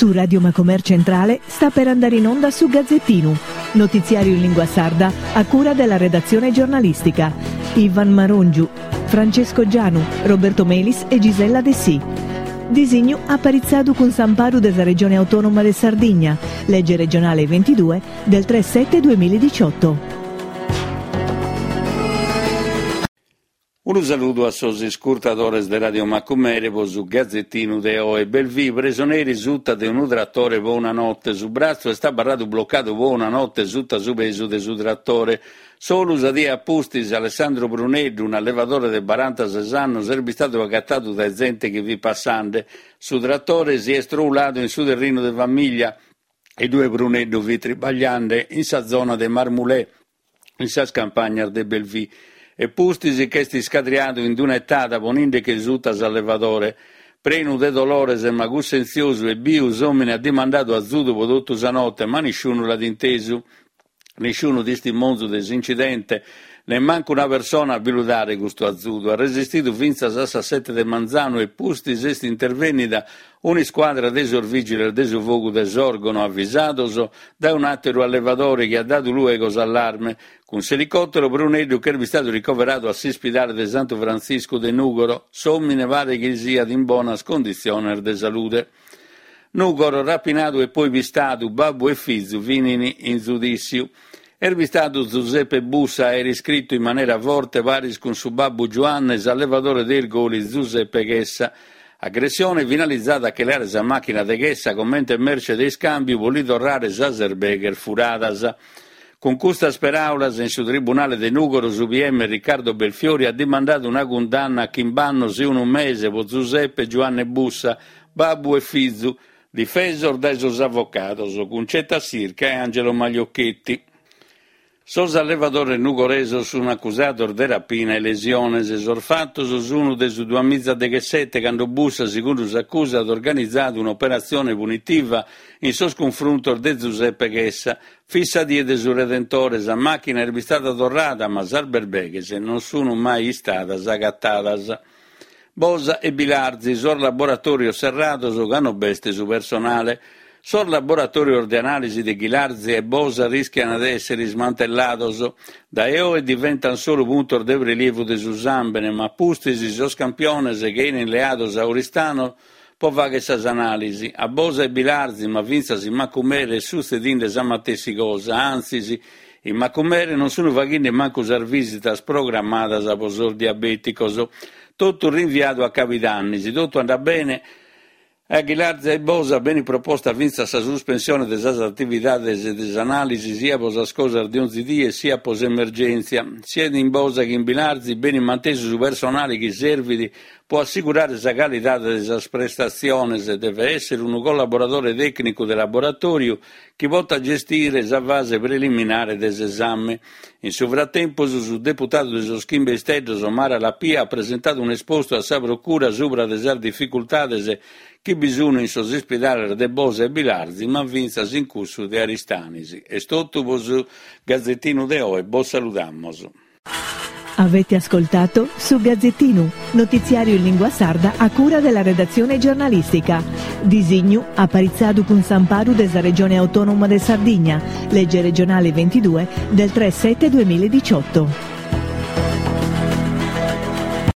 Su Radio Macomer Centrale sta per andare in onda su Gazzettinu, notiziario in lingua sarda a cura della redazione giornalistica. Ivan Marongiu, Francesco Gianu, Roberto Melis e Gisella Dessì. Disignu aparitzadu cun s'amparu de sa Regione Autonoma de Sardigna, lege regionale 22 del 3 7 2018. Unu saludu a sos iscurtadores de Radio Macumere po su Gazetinu de oe. Belvì, presoneri suta de unu tratore po una note. Su bratzu est abarradu blocadu po una note suta su pesu de su tratore. Solu sa die a pustis, Alessandro Pruneddu, un'allevadore de barantases annos, est bistadu agatadu dae zente chi fit passande. Su tratore si est trouladu in su terrinu de famiglia e ue Pruneddu fit tribagliande in sa zona de Marmulè, in sas campagnas de Belvì, e pustis ch'est iscadriadu in d'una etada ponindeche suta s'allevadore. Prenu de dolores ma cussentziosu e biu, s'omine at dimandadu azudu po totu sa note, ma nisciunu l'at intesu. Nisciunu tistimonzu de s'incidente, nemmancu una persona a bi lu dare custu azudu. At resistidu fintzas a sas sete de manzanu e pustis est intervènnida un'iscuadra de sos vìgiles de su fogu de Sòrgono, avisados dae un'àteru allevadore chi at dadu luego s'allarme. Cun s'elicòtero Pruneddu ch'est bistadu ricoveradu a s'ispidale de Santu Frantziscu de Nùgoro. S'òmine paret chi siat in bonas conditziones de salude. Nùgoro, rapinadu e poi pistadu, babbu e fizu finin in zudissiu. Est bistadu Zuseppe Bussa a aer iscritu in manera forte paris cun su babbu Giuanne s'allevadore de Irgoli Zuseppe Chessa. Agressione finalizada a che leare sa màchina de Chessa comente merce de iscàmbiu po li torrare sas erbeghes furadas. Cun custas peràulas in su tribunale de Nùgoro su PM Riccardo Belfiori at dimandadu una cundanna a chimb'annos e unu mese po Zuseppe e Giuanne Bussa, Babbu e fizu, difesos dae sos avocados Cuncetta Sirca e Angelo Magliocchetti. Sos allevadores nugoresos sun acusados de rapina e lesiones. Sos fatos sun de su duamizadeghessete, cando Bussa, segundu s'acusa, at organizadu un'operatzione punitiva in sos cunfruntos de Zuseppe Chessa. Fit sa die de su Redentore, sa màchina est bistada torrada, ma sas berbeghes non sun mai istadas agatadas. Bosa e Bilarzi, sos laboratòrios serrados ca no b'est su personale. Sos laboratòrios de anàlisi de Ghilarzi e Bosa rìschiant de èssere ismantellados. Dae oe diventant solu puntos de prelievu de su sàmbene, ma a pustis sos campiones che 'enint leados a Oristano po fàghere sas anàlisi. A Bosa e Bilarzi, ma fintzas in Macumere est sutzedinde sa matessi cosa, antzis, in Macumere non sunt faghende mancu sas vìsitas programmadas po sos diabèticos. Totu rinviadu a cabidanni, si totu andat bene, A Ghilarza e Bosa benit proposta fintzas sa suspensione de sas atividades de s'anàlisi sia po sas cosas de onzi die siat po s'emergèntzia. Siat in Bosa chi in Bilarzi benit mantesu su personale chi servit Po assigurare sa calidade de sas prestatziones devet èssere unu collaboradore tècnicu de laboratòriu chi potat gestire sa fase preliminare de s'esame. In su fratempus su deputadu de sos Chimbe Isteddos Mara Lapia at presentadu un'espostu a sa Procura subra de sas dificultades chi bi sun in sos ispidales de Bosa e Bilarzi ma fintzas in cussu de Aristanis. Est totu po su Gazetinu de oe, bos saludamos. Avete ascoltato Su Gazzettinu, notiziario in lingua sarda a cura della redazione giornalistica. Disignu aparitzadu cun s'amparu de sa Regione Autonoma de Sardigna, legge regionale 22 del 3 7 2018.